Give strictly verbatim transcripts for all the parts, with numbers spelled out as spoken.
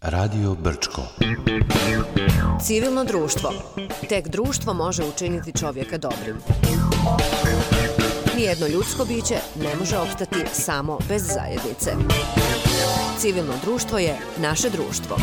Radio Brčko. Civilno društvo. Tek društvo može učiniti čovjeka dobrim. Nijedno ljudsko biće ne može opstati samo bez zajednice. Civilno društvo je naše društvo.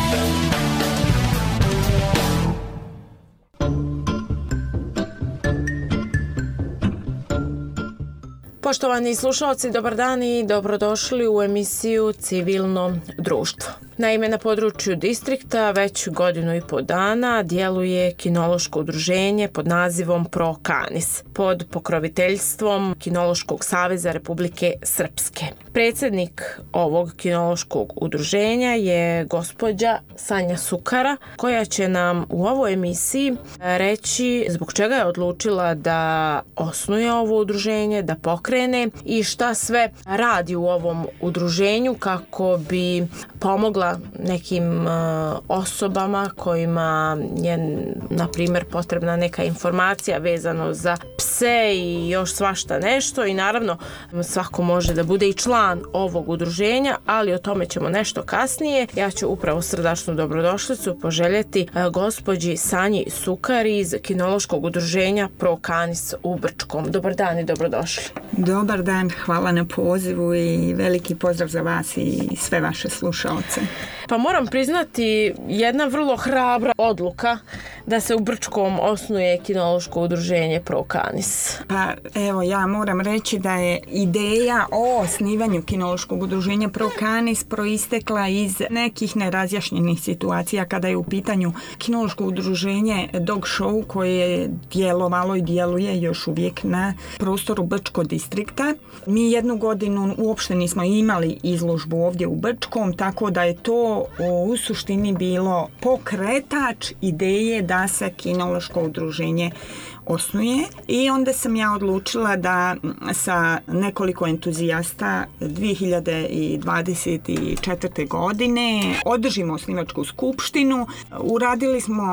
Poštovani slušalci, dobar dan i dobrodošli u emisiju Civilno društvo. Naime, na području distrikta već godinu i po dana djeluje kinološko udruženje pod nazivom Pro Canis, pod pokroviteljstvom Kinološkog saveza Republike Srpske. Predsjednik ovog kinološkog udruženja je gospođa Sanja Sukara, koja će nam u ovoj emisiji reći zbog čega je odlučila da osnuje ovo udruženje, da pokrene i šta sve radi u ovom udruženju kako bi pomogla nekim uh, osobama kojima je, na primjer, potrebna neka informacija vezano za pse i još svašta nešto i naravno svako može da bude i član ovog udruženja, ali o tome ćemo nešto kasnije. Ja ću upravo srdačnu dobrodošlicu poželjeti uh, gospođi Sanji Sukari iz kinološkog udruženja Pro Canis u Brčkom. Dobar dan i dobrodošli. Dobar dan, hvala na pozivu i veliki pozdrav za vas i sve vaše slušalce. Pa moram priznati, jedna vrlo hrabra odluka da se u Brčkom osnuje kinološko udruženje Pro Canis. Pa evo, ja moram reći da je ideja o osnivanju kinološkog udruženja Pro Canis proistekla iz nekih nerazjašnjenih situacija kada je u pitanju kinološko udruženje Dog Show koje je djelovalo i djeluje još uvijek na prostoru Brčkog distrikta. Mi jednu godinu uopšte nismo imali izložbu ovdje u Brčkom, tako da je to u suštini bilo pokretač ideje da se kinološko udruženje osnuje i onda sam ja odlučila da sa nekoliko entuzijasta dvije hiljade dvadeset četvrte. godine održimo osnivačku skupštinu. Uradili smo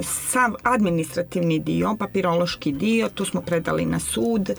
sav administrativni dio, papirološki dio, to smo predali na sud.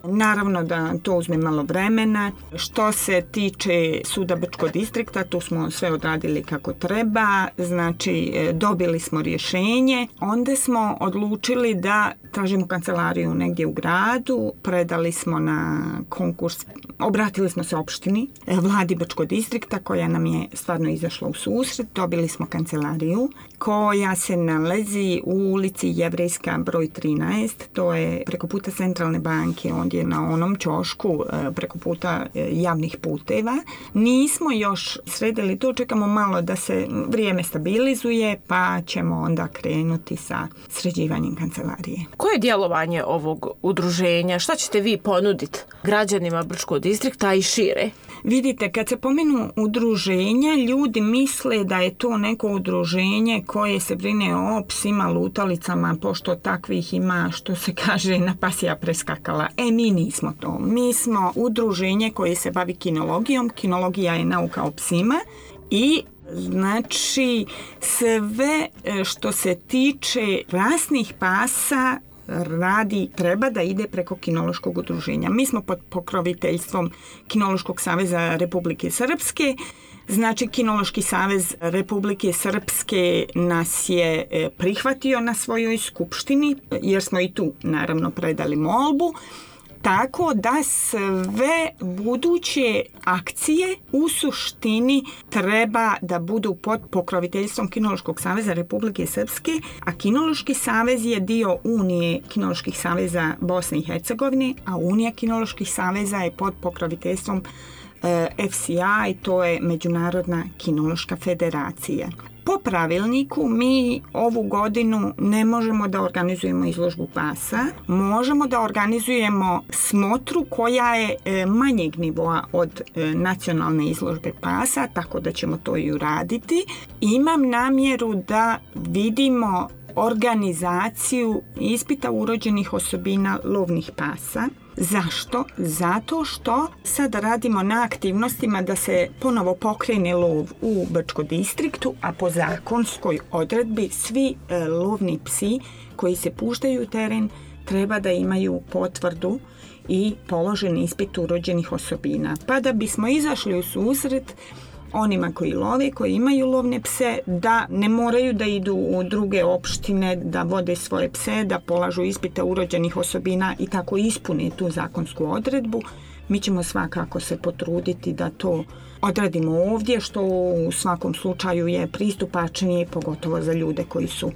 Naravno da to uzme malo vremena. Što se tiče suda Brčkog distrikta, tu smo sve odradili kako treba, znači dobili smo rješenje. Onda smo odlučili da tražimo kancelariju negdje u gradu, predali smo na konkurs, obratili smo se opštini, vladi Brčkog distrikta koja nam je stvarno izašla u susret, dobili smo kancelariju koja se nalazi u ulici Jevrejska broj trinaest, to je preko puta Centralne banke, on je na onom ćošku preko puta javnih puteva. Nismo još sredili to, čekamo malo da se vrijeme stabilizuje pa ćemo onda krenuti sa sređivanjem kancelarije. Koje je djelovanje ovog udruženja? Šta ćete vi ponuditi građanima Brčkog distrikta i šire? Vidite, kad se pomenu udruženja, ljudi misle da je to neko udruženje koje se brine o psima, lutalicama, pošto takvih ima, što se kaže, na pasija preskakala. E, mi nismo to. Mi smo udruženje koje se bavi kinologijom. Kinologija je nauka o psima i znači sve što se tiče rasnih pasa radi, treba da ide preko kinološkog udruženja. Mi smo pod pokroviteljstvom Kinološkog saveza Republike Srpske. Znači, Kinološki savez Republike Srpske nas je prihvatio na svojoj skupštini, jer smo i tu naravno predali molbu. Tako da sve buduće akcije u suštini treba da budu pod pokroviteljstvom Kinološkog saveza Republike Srpske, a Kinološki savez je dio Unije Kinoloških saveza Bosne i Hercegovine, a Unija Kinoloških saveza je pod pokroviteljstvom F C I, to je Međunarodna kinološka federacija. Po pravilniku mi ovu godinu ne možemo da organizujemo izložbu pasa, možemo da organizujemo smotru koja je manjeg nivoa od nacionalne izložbe pasa, tako da ćemo to i uraditi. Imam namjeru da vidimo organizaciju ispita urođenih osobina lovnih pasa. Zašto? Zato što sad radimo na aktivnostima da se ponovo pokrene lov u Brčkom distriktu, a po zakonskoj odredbi svi e, lovni psi koji se puštaju u teren treba da imaju potvrdu i položen ispit urođenih osobina. Pa da bismo izašli u susret onima koji love, koji imaju lovne pse, da ne moraju da idu u druge opštine, da vode svoje pse, da polažu ispite urođenih osobina i tako ispune tu zakonsku odredbu. Mi ćemo svakako se potruditi da to odradimo ovdje, što u svakom slučaju je pristupačnije, pogotovo za ljude koji su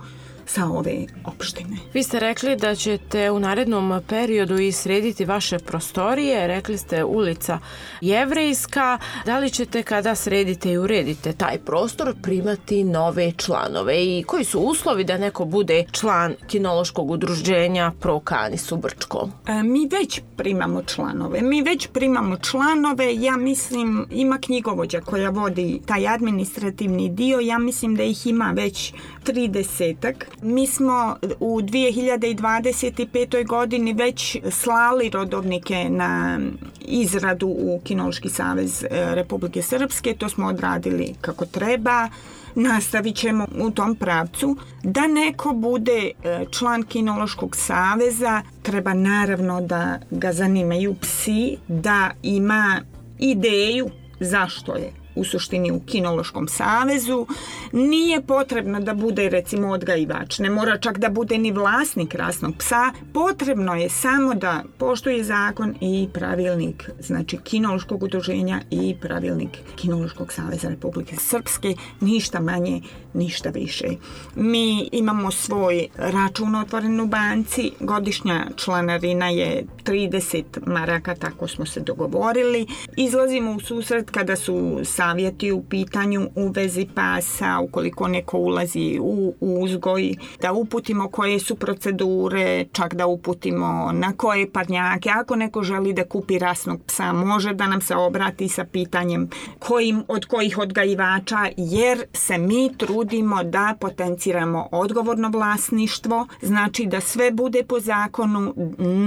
sa ove opštine. Vi ste rekli da ćete u narednom periodu i srediti vaše prostorije, rekli ste ulica Jevrejska. Da li ćete kada sredite i uredite taj prostor primati nove članove i koji su uslovi da neko bude član kinološkog udruženja Pro Canis u Brčkom? E, mi već primamo članove. Mi već primamo članove, ja mislim ima knjigovođa koja vodi taj administrativni dio, ja mislim da ih ima već tridesetak. Mi smo u dvije hiljade dvadeset pete. godini već slali rodovnike na izradu u Kinološki savez Republike Srpske. To smo odradili kako treba. Nastavit ćemo u tom pravcu. Da neko bude član Kinološkog saveza, treba naravno da ga zanimaju psi, da ima ideju zašto je u suštini u Kinološkom savezu. Nije potrebno da bude recimo odgajivač, ne mora čak da bude ni vlasnik rasnog psa, potrebno je samo da poštuje zakon i pravilnik, znači Kinološkog udruženja i pravilnik Kinološkog saveza Republike Srpske, ništa manje, ništa više. Mi imamo svoj račun otvoren u banci, godišnja članarina je trideset maraka, tako smo se dogovorili. Izlazimo u susret kada su savjeti u pitanju u vezi pasa, ukoliko neko ulazi u uzgoj, da uputimo koje su procedure, čak da uputimo na koje parnjake. Ako neko želi da kupi rasnog psa, može da nam se obrati sa pitanjem kojim, od kojih odgajivača, jer se mi trudimo da potenciramo odgovorno vlasništvo, znači da sve bude po zakonu.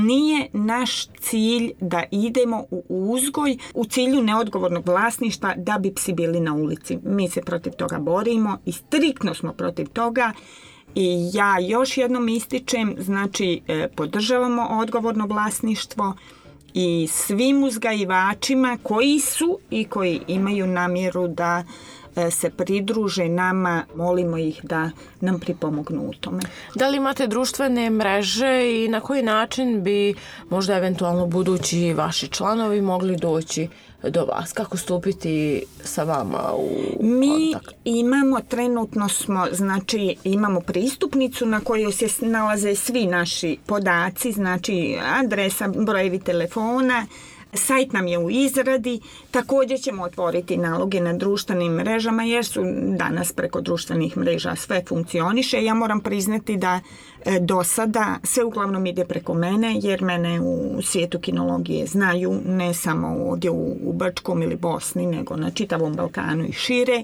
Nije naš cilj da idemo u uzgoj u cilju neodgovornog vlasništva da bi psi bili na ulici. Mi se protiv toga borimo i striktno smo protiv toga. I ja još jednom ističem, znači podržavamo odgovorno vlasništvo i svim uzgajivačima koji su i koji imaju namjeru da se pridruže nama, molimo ih da nam pripomognu u tome. Da li imate društvene mreže i na koji način bi možda eventualno budući vaši članovi mogli doći do vas? Kako stupiti sa vama u Mi kontakt? imamo, trenutno smo, znači imamo pristupnicu na kojoj se nalaze svi naši podaci, znači adresa, brojevi telefona. Sajt nam je u izradi, također ćemo otvoriti naloge na društvenim mrežama jer su danas preko društvenih mreža sve funkcioniše. Ja moram priznati da e, do sada sve uglavnom ide preko mene jer mene u svijetu kinologije znaju ne samo ovdje u, u Brčkom ili Bosni nego na čitavom Balkanu i šire.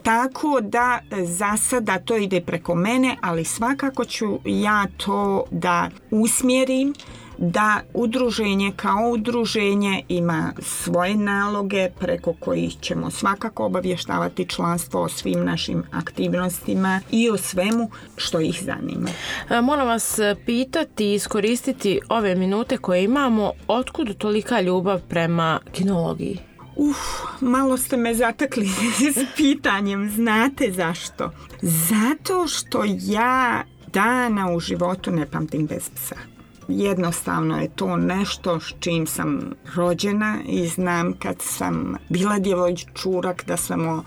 Tako da za sada to ide preko mene, ali svakako ću ja to da usmjerim da udruženje kao udruženje ima svoje naloge preko kojih ćemo svakako obavještavati članstvo o svim našim aktivnostima i o svemu što ih zanima. Moram vas pitati i iskoristiti ove minute koje imamo, otkud tolika ljubav prema kinologiji? Uf, malo ste me zatakli s pitanjem, znate zašto? Zato što ja dana u životu ne pamtim bez psa. Jednostavno je to nešto s čim sam rođena i znam kad sam bila djevojčurak da sam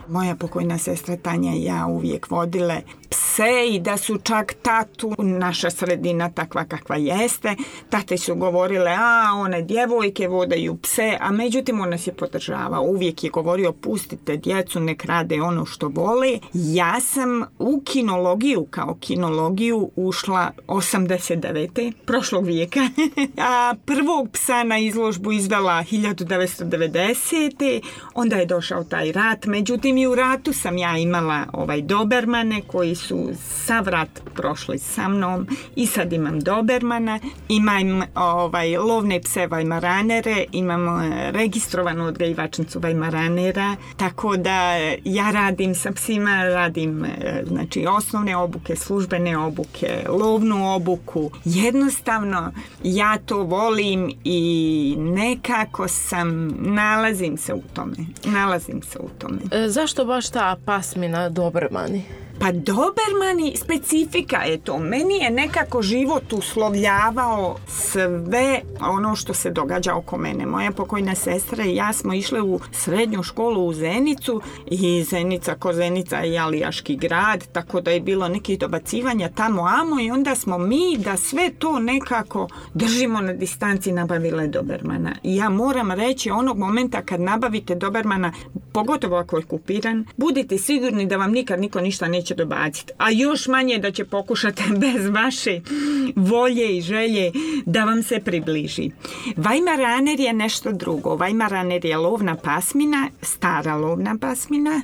moja pokojna sestra Tanja i ja uvijek vodile pse i da su čak tatu, naša sredina takva kakva jeste, tate su govorile, a one djevojke vodaju pse, a međutim on nas je podržavao. Uvijek je govorio, pustite djecu, nek rade ono što vole. Ja sam u kinologiju, kao kinologiju, ušla osamdeset devete prošlog vijeka, a prvog psa na izložbu izvela hiljadu devetsto devedesete onda je došao taj rat, međutim mislim i u ratu sam ja imala ovaj dobermane koji su sav rat prošli sa mnom i sad imam dobermana, imam ovaj, lovne pse vajmaranere, imam registrovanu odgajivačnicu vajmaranera, tako da ja radim sa psima, radim znači osnovne obuke, službene obuke, lovnu obuku. Jednostavno ja to volim i nekako sam, nalazim se u tome, nalazim se u tome. E, zašto baš ta pasmina dobermani? Pa dobermani, specifika je to. Meni je nekako život uslovljavao sve ono što se događa oko mene. Moja pokojna sestra i ja smo išle u srednju školu u Zenicu i Zenica ko Zenica je alijaški grad, tako da je bilo nekih dobacivanja tamo amo i onda smo mi da sve to nekako držimo na distanci nabavile dobermana. I ja moram reći onog momenta kad nabavite dobermana, pogotovo ako je kupiran, budite sigurni da vam nikad niko ništa neće dobaciti, a još manje da će pokušati bez vaše volje i želje da vam se približi. Vajmaraner je nešto drugo. Vajmaraner je lovna pasmina, stara lovna pasmina,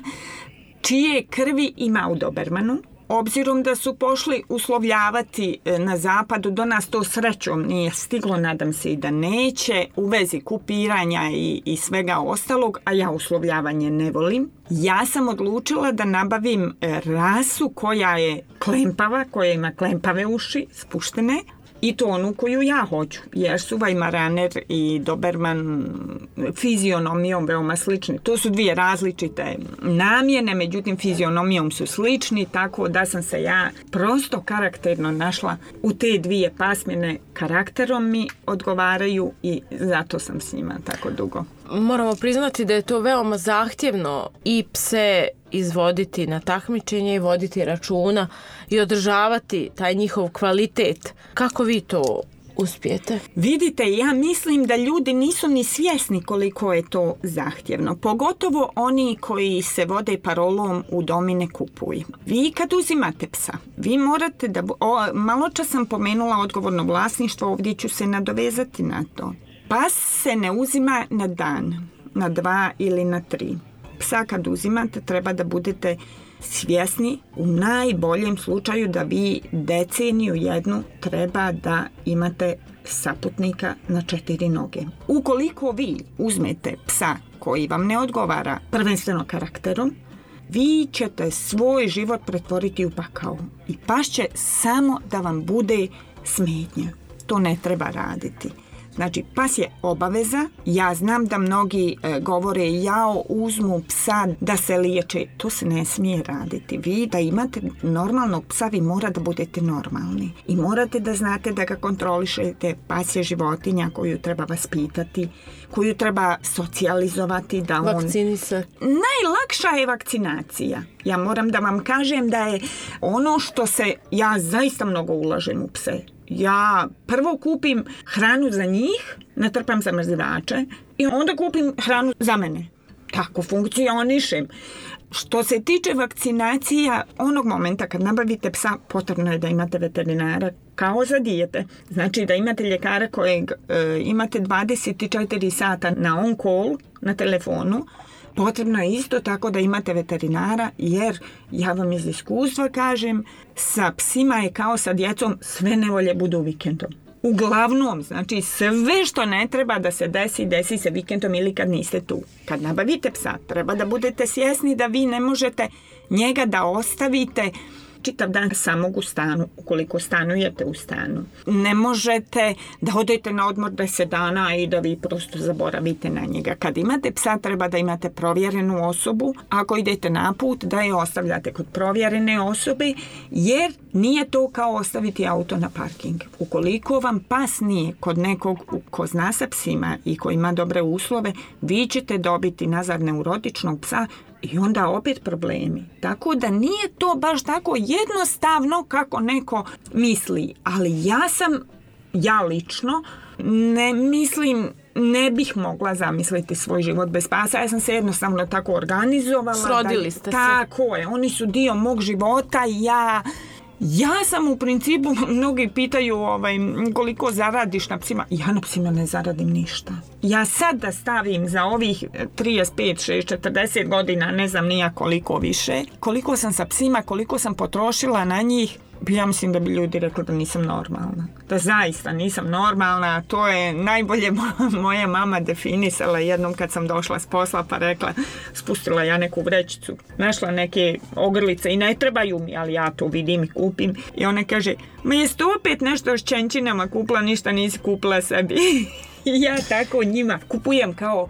čije krvi ima u dobermanu. Obzirom da su pošli uslovljavati na zapadu, do nas to srećom nije stiglo, nadam se i da neće, u vezi kupiranja i, i svega ostalog, a ja uslovljavanje ne volim. Ja sam odlučila da nabavim rasu koja je klempava, koja ima klempave uši, spuštene, i to onu koju ja hoću, jer su vajmaraner i doberman fizionomijom veoma slični. To su dvije različite namjene, međutim fizionomijom su slični, tako da sam se ja prosto karakterno našla u te dvije pasmine, karakterom mi odgovaraju i zato sam s njima tako dugo. Moramo priznati da je to veoma zahtjevno i pse izvoditi na takmičenje i voditi računa i održavati taj njihov kvalitet. Kako vi to uspijete? Vidite, ja mislim da ljudi nisu ni svjesni koliko je to zahtjevno. Pogotovo oni koji se vode parolom u domi ne kupuj. Vi kad uzimate psa, vi morate da... O, malo čas sam pomenula odgovorno vlasništvo, ovdje ću se nadovezati na to. Pas se ne uzima na dan, na dva ili na tri. Psa kad uzimate treba da budete svjesni u najboljem slučaju da vi deceniju jednu treba da imate saputnika na četiri noge. Ukoliko vi uzmete psa koji vam ne odgovara prvenstveno karakterom, vi ćete svoj život pretvoriti u pakao i pas će samo da vam bude smetnja. To ne treba raditi. Znači, pas je obaveza. Ja znam da mnogi e, govore jao, uzmu psa da se liječe. To se ne smije raditi. Vi da imate normalnog psa, vi morate da budete normalni. I morate da znate da ga kontrolišete. Pas je životinja koju treba vaspitati, koju treba socijalizovati. Da on... Vakcinisati. Najlakša je vakcinacija. Ja moram da vam kažem da je ono što se... Ja zaista mnogo ulažem u pse. Ja prvo kupim hranu za njih, natrpam zamrzivače i onda kupim hranu za mene. Tako funkcionišem. Što se tiče vakcinacija, onog momenta kad nabavite psa, potrebno je da imate veterinara kao za dijete. Znači da imate ljekara kojeg e, imate dvadeset četiri sata na on call, na telefonu. Potrebno je isto tako da imate veterinara, jer ja vam iz iskustva kažem, sa psima je kao sa djecom, sve nevolje budu vikendom. Uglavnom, znači sve što ne treba da se desi, desi se vikendom ili kad niste tu. Kad nabavite psa, treba da budete svjesni da vi ne možete njega da ostavite čitav dan samog u stanu, ukoliko stanujete u stanu. Ne možete da odete na odmor deset dana i da vi prosto zaboravite na njega. Kad imate psa, treba da imate provjerenu osobu. Ako idete na put, da je ostavljate kod provjerene osobe, jer nije to kao ostaviti auto na parking. Ukoliko vam pas nije kod nekog ko zna sa psima i ko ima dobre uslove, vi ćete dobiti nazad neurotičnog psa i onda opet problemi. Tako da nije to baš tako jednostavno kako neko misli. Ali ja sam, ja lično, ne mislim, ne bih mogla zamisliti svoj život bez pasa. Ja sam se jednostavno tako organizovala. Srodili ste da, se. Tako je. Oni su dio mog života i ja Ja sam u principu, mnogi pitaju ovaj, koliko zaradiš na psima. Ja na psima ne zaradim ništa. Ja sad da stavim za ovih trideset pet, šezdeset, četrdeset godina, ne znam nija koliko više, koliko sam sa psima, koliko sam potrošila na njih, ja mislim da bi ljudi rekli da nisam normalna. Da zaista nisam normalna. To je najbolje moja mama definisala jednom kad sam došla s posla pa rekla, spustila ja neku vrećicu, našla neke ogrlice i ne trebaju mi, ali ja to vidim i kupim. I ona kaže, ma jeste opet nešto s čenčinama kupila, ništa nisi kupila sebi. I ja tako njima kupujem kao,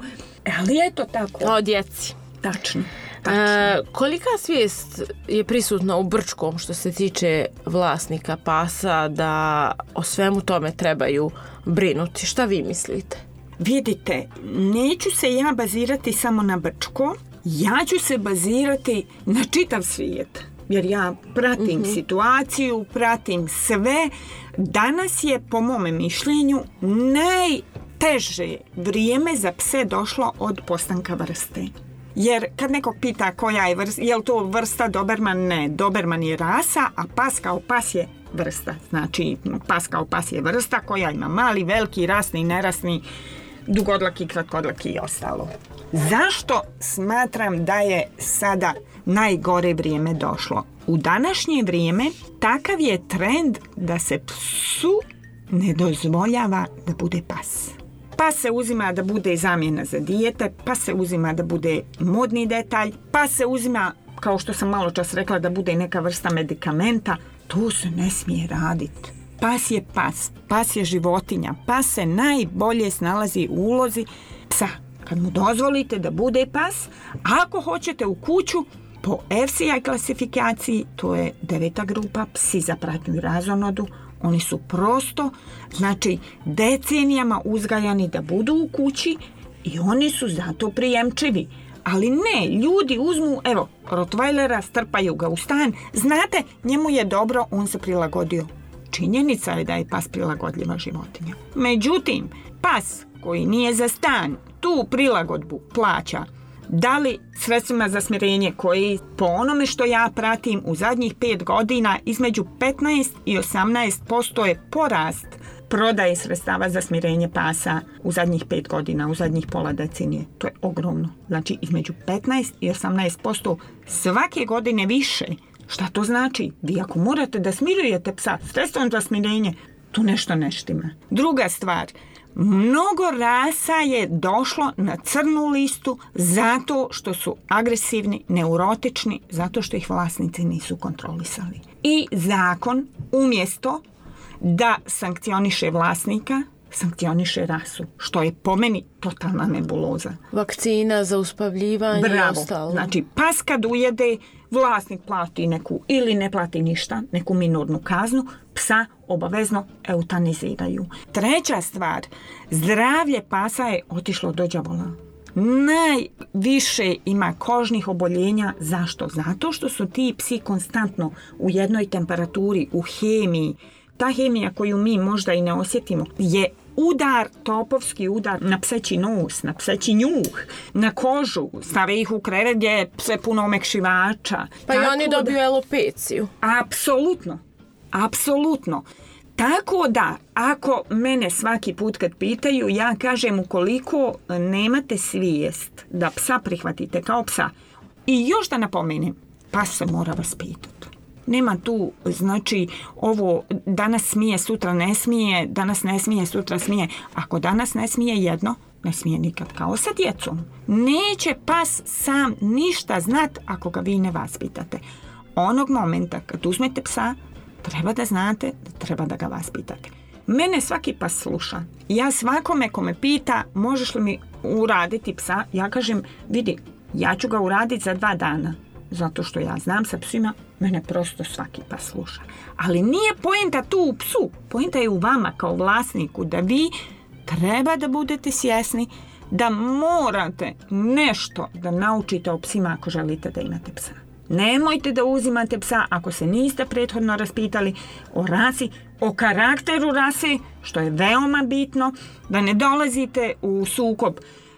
ali eto tako. O djeci. Tačno. E, kolika svijest je prisutna u Brčkom što se tiče vlasnika pasa da o svemu tome trebaju brinuti? Šta vi mislite? Vidite, neću se ja bazirati samo na Brčko, ja ću se bazirati na čitav svijet. Jer ja pratim mm-hmm. situaciju, pratim sve. Danas je, po mome mišljenju, najteže vrijeme za pse došlo od postanka vrste. Jer kad nekog pita koja je vrsta, je li to vrsta Doberman? Ne, Doberman je rasa, a pas kao pas je vrsta. Znači, pas kao pas je vrsta koja ima mali, veliki, rasni, nerasni, dugodlaki, kratkodlaki i ostalo. Zašto smatram da je sada najgore vrijeme došlo? U današnje vrijeme takav je trend da se psu ne dozvoljava da bude pas. Pa se uzima da bude zamjena za dijete, pa se uzima da bude modni detalj, pa se uzima, kao što sam malo čas rekla, da bude neka vrsta medikamenta. To se ne smije raditi. Pas je pas, pas je životinja, pas se najbolje snalazi u ulozi psa. Kad mu dozvolite da bude pas, ako hoćete u kuću, po F C I klasifikaciji, to je deveta grupa, psi za pratnju i razonodu, oni su prosto, znači, decenijama uzgajani da budu u kući i oni su zato prijemčivi. Ali ne, ljudi uzmu, evo, Rottweilera, strpaju ga u stan, znate, njemu je dobro, on se prilagodio. Činjenica je da je pas prilagodljiva životinja. Međutim, pas koji nije za stan, tu prilagodbu plaća, da li sredstvima za smirenje koji, po onome što ja pratim, u zadnjih pet godina između petnaest i osamnaest posto je porast prodaje sredstava za smirenje pasa u zadnjih pet godina, u zadnjih pola decenije. To je ogromno. Znači, između petnaest i osamnaest posto svake godine više. Šta to znači? Vi ako morate da smirujete psa sredstvom za smirenje, tu nešto ne štima. Druga stvar, mnogo rasa je došlo na crnu listu zato što su agresivni, neurotični, zato što ih vlasnici nisu kontrolisali. I zakon umjesto da sankcioniše vlasnika, sankcioniše rasu, što je po meni totalna nebuloza. Vakcina za uspavljivanje Bravo. i ostalo. Znači, pas kad ujede, vlasnik plati neku ili ne plati ništa, neku minornu kaznu, psa obavezno eutaniziraju. Treća stvar, zdravlje pasa je otišlo do đavola. Najviše ima kožnih oboljenja. Zašto? Zato što su ti psi konstantno u jednoj temperaturi, u hemiji. Ta hemija koju mi možda i ne osjetimo je udar, topovski udar na pseći nos, na pseći njuh, na kožu, stave ih u krevet gdje je pse puno omekšivača. Pa i oni dobiju da... elopeciju. Apsolutno, apsolutno. Tako da, ako mene svaki put kad pitaju, ja kažem ukoliko nemate svijest da psa prihvatite kao psa, i još da napomenem, pas se mora vaspitati. Nema tu, znači, ovo danas smije, sutra ne smije, danas ne smije, sutra smije. Ako danas ne smije jedno, ne smije nikad, kao sa djecom. Neće pas sam ništa znat ako ga vi ne vaspitate. Onog momenta kad uzmete psa, treba da znate da treba da ga vaspitate. Mene svaki pas sluša. Ja svakome ko me pita možeš li mi uraditi psa, ja kažem, vidi, ja ću ga uraditi za dva dana. Zato što ja znam sa psima, mene prosto svaki pas sluša. Ali nije poenta tu u psu, poenta je u vama kao vlasniku, da vi treba da budete svjesni da morate nešto da naučite o psima ako želite da imate psa. Nemojte da uzimate psa ako se niste prethodno raspitali o rasi, o karakteru rase, što je veoma bitno, da ne dolazite u sukob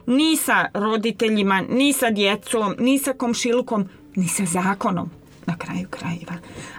ni sa roditeljima, ni sa djecom, ni sa komšilukom, ni sa zakonom. na kraju krajeva.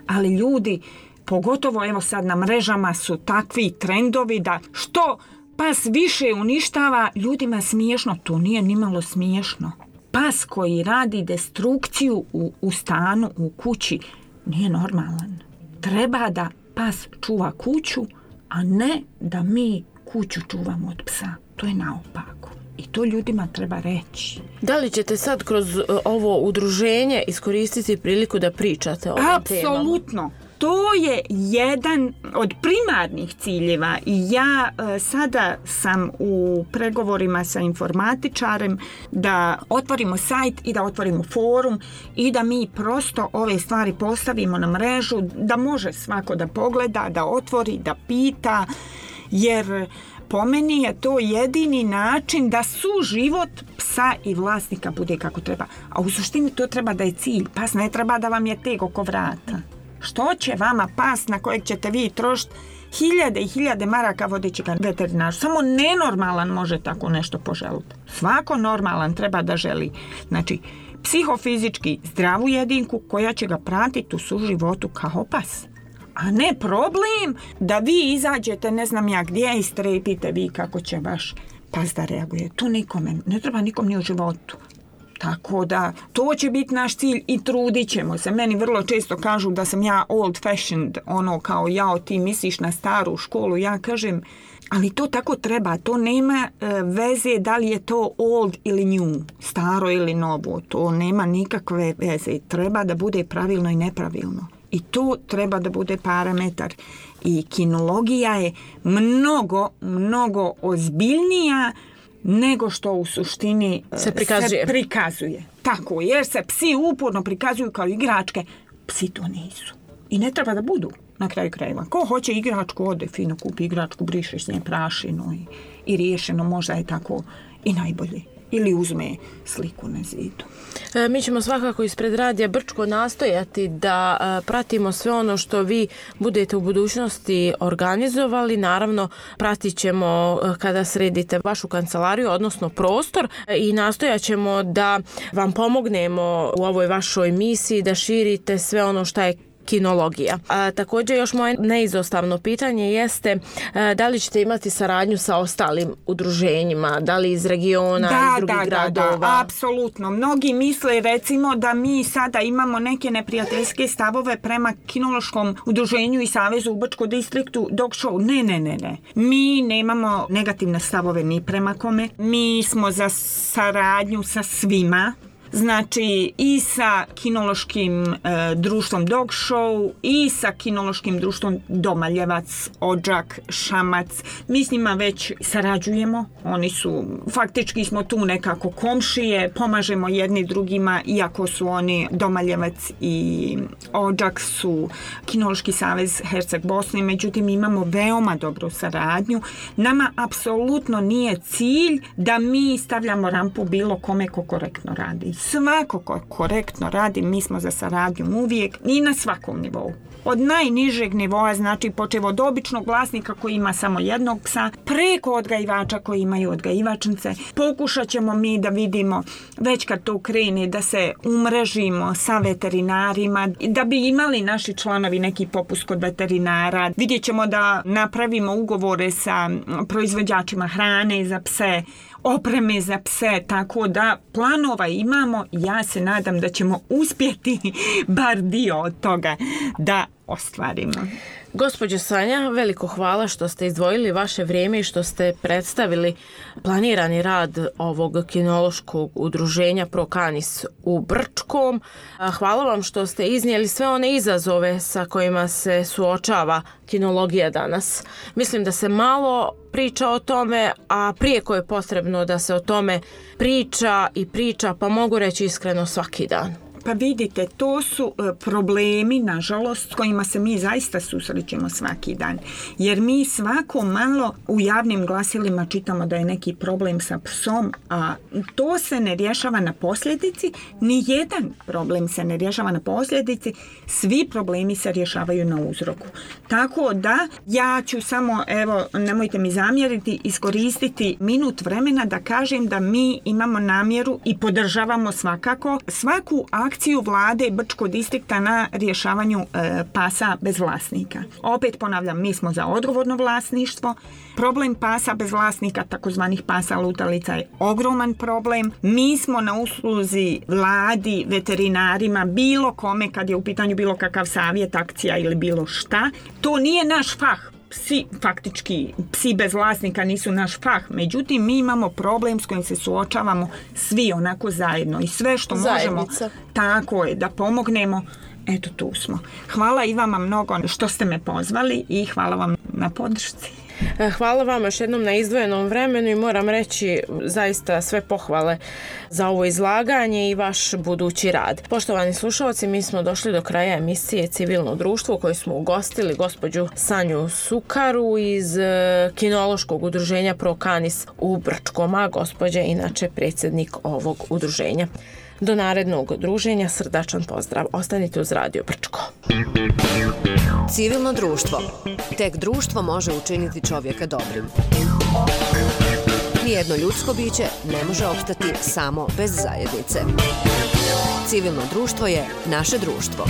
Ali ljudi, pogotovo evo sad na mrežama su takvi trendovi da što pas više uništava, ljudima smiješno. To nije nimalo smiješno. Pas koji radi destrukciju u, u stanu, u kući, nije normalan. Treba da pas čuva kuću, a ne da mi kuću čuvamo od psa. To je naopako. I to ljudima treba reći. Da li ćete sad kroz ovo udruženje iskoristiti priliku da pričate o ovim temama? Apsolutno. To je jedan od primarnih ciljeva i ja e, sada sam u pregovorima sa informatičarem da otvorimo sajt i da otvorimo forum i da mi prosto ove stvari postavimo na mrežu, da može svako da pogleda, da otvori, da pita, jer po meni je to jedini način da suživot psa i vlasnika bude kako treba. A u suštini to treba da je cilj. Pas ne treba da vam je teg oko vrata. Što će vama pas na kojeg ćete vi trošiti hiljade i hiljade maraka vodeći ga veterinaru? Samo nenormalan može tako nešto poželiti. Svako normalan treba da želi. Znači, psihofizički zdravu jedinku koja će ga pratiti u suživotu kao pas. A ne problem da vi izađete ne znam ja gdje i strepite vi kako će vaš pas da reaguje. To nikome, ne treba nikom ni u životu. Tako da, to će biti naš cilj i trudit ćemo se. Meni vrlo često kažu da sam ja old fashioned, ono kao jao ti misliš na staru školu. Ja kažem, ali to tako treba, to nema e, veze da li je to old ili new, staro ili novo. To nema nikakve veze. Treba da bude pravilno i nepravilno. I to treba da bude parametar. I kinologija je mnogo, mnogo ozbiljnija nego što u suštini se prikazuje. se prikazuje. Tako, jer se psi uporno prikazuju kao igračke. Psi to nisu. I ne treba da budu na kraju krajeva. Ko hoće igračku, ode fino, kupi igračku, brišeš nje prašinu i, i riješeno, možda je tako i najbolje. Ili uzme sliku na zidu. E, mi ćemo svakako ispred Radija Brčko nastojati da e, pratimo sve ono što vi budete u budućnosti organizovali. Naravno, pratit ćemo e, kada sredite vašu kancelariju, odnosno prostor e, i nastojat ćemo da vam pomognemo u ovoj vašoj misiji, da širite sve ono što je kinologija. A, također još moje neizostavno pitanje jeste a, da li ćete imati saradnju sa ostalim udruženjima, da li iz regiona, da, iz drugih da, gradova? Da, da, apsolutno. Mnogi misle recimo da mi sada imamo neke neprijateljske stavove prema kinološkom udruženju i savezu u Brčkom distriktu Dog Show. Ne, ne, ne, ne. Mi nemamo negativne stavove ni prema kome. Mi smo za saradnju sa svima. Znači i sa kinološkim e, društvom Dog Show i sa kinološkim društvom Domaljevac, Odžak, Šamac. Mi s njima već sarađujemo. Oni su, faktički smo tu nekako komšije, pomažemo jedni drugima, iako su oni Domaljevac i Odžak su Kinološki savez Herceg Bosne, međutim imamo veoma dobru saradnju. Nama apsolutno nije cilj da mi stavljamo rampu bilo kome ko korektno radi. Svako ko korektno radi, mi smo za saradnju uvijek i na svakom nivou. Od najnižeg nivoa, znači počev od običnog vlasnika koji ima samo jednog psa, preko odgajivača koji imaju odgajivačnice. Pokušat ćemo mi da vidimo, već kad to krene, da se umrežimo sa veterinarima, da bi imali naši članovi neki popust kod veterinara. Vidjet ćemo da napravimo ugovore sa proizvođačima hrane za pse, opreme za pse, tako da planova imamo. Ja se nadam da ćemo uspjeti bar dio od toga da ostvarimo. Gospođo Sanja, veliko hvala što ste izdvojili vaše vrijeme i što ste predstavili planirani rad ovog kinološkog udruženja Pro Canis u Brčkom. Hvala vam što ste iznijeli sve one izazove sa kojima se suočava kinologija danas. Mislim da se malo priča o tome, a prijeko je potrebno da se o tome priča i priča, pa mogu reći iskreno svaki dan. Pa vidite, to su problemi, nažalost, s kojima se mi zaista susrećemo svaki dan. Jer mi svako malo u javnim glasilima čitamo da je neki problem sa psom, a to se ne rješava na posljedici. Ni jedan problem se ne rješava na posljedici. Svi problemi se rješavaju na uzroku. Tako da ja ću samo, evo, nemojte mi zamjeriti, iskoristiti minut vremena da kažem da mi imamo namjeru i podržavamo svakako svaku akciju akciju vlade Brčkog distrikta na rješavanju e, pasa bez vlasnika. Opet ponavljam, mi smo za odgovorno vlasništvo. Problem pasa bez vlasnika, takozvanih pasa lutalica, je ogroman problem. Mi smo na usluzi vladi, veterinarima, bilo kome kad je u pitanju bilo kakav savjet, akcija ili bilo šta. To nije naš fah. Psi, faktički, psi bez vlasnika nisu naš fah. Međutim, mi imamo problem s kojim se suočavamo svi onako zajedno. I sve što Zajednica. možemo, tako je, da pomognemo, eto tu smo. Hvala i vama mnogo što ste me pozvali i hvala vam na podršci. Hvala vam još jednom na izdvojenom vremenu i moram reći zaista sve pohvale za ovo izlaganje i vaš budući rad. Poštovani slušalci, mi smo došli do kraja emisije Civilno društvo u kojoj smo ugostili gospođu Sanju Sukaru iz kinološkog udruženja Pro Canis u Brčkom, a gospođa je inače predsjednik ovog udruženja. Do narednog druženja srdačan pozdrav. Ostanite uz Radio Brčko. Civilno društvo. Tek društvo može učiniti čovjeka dobrim. Nijedno ljudsko biće ne može opstati samo bez zajednice. Civilno društvo je naše društvo.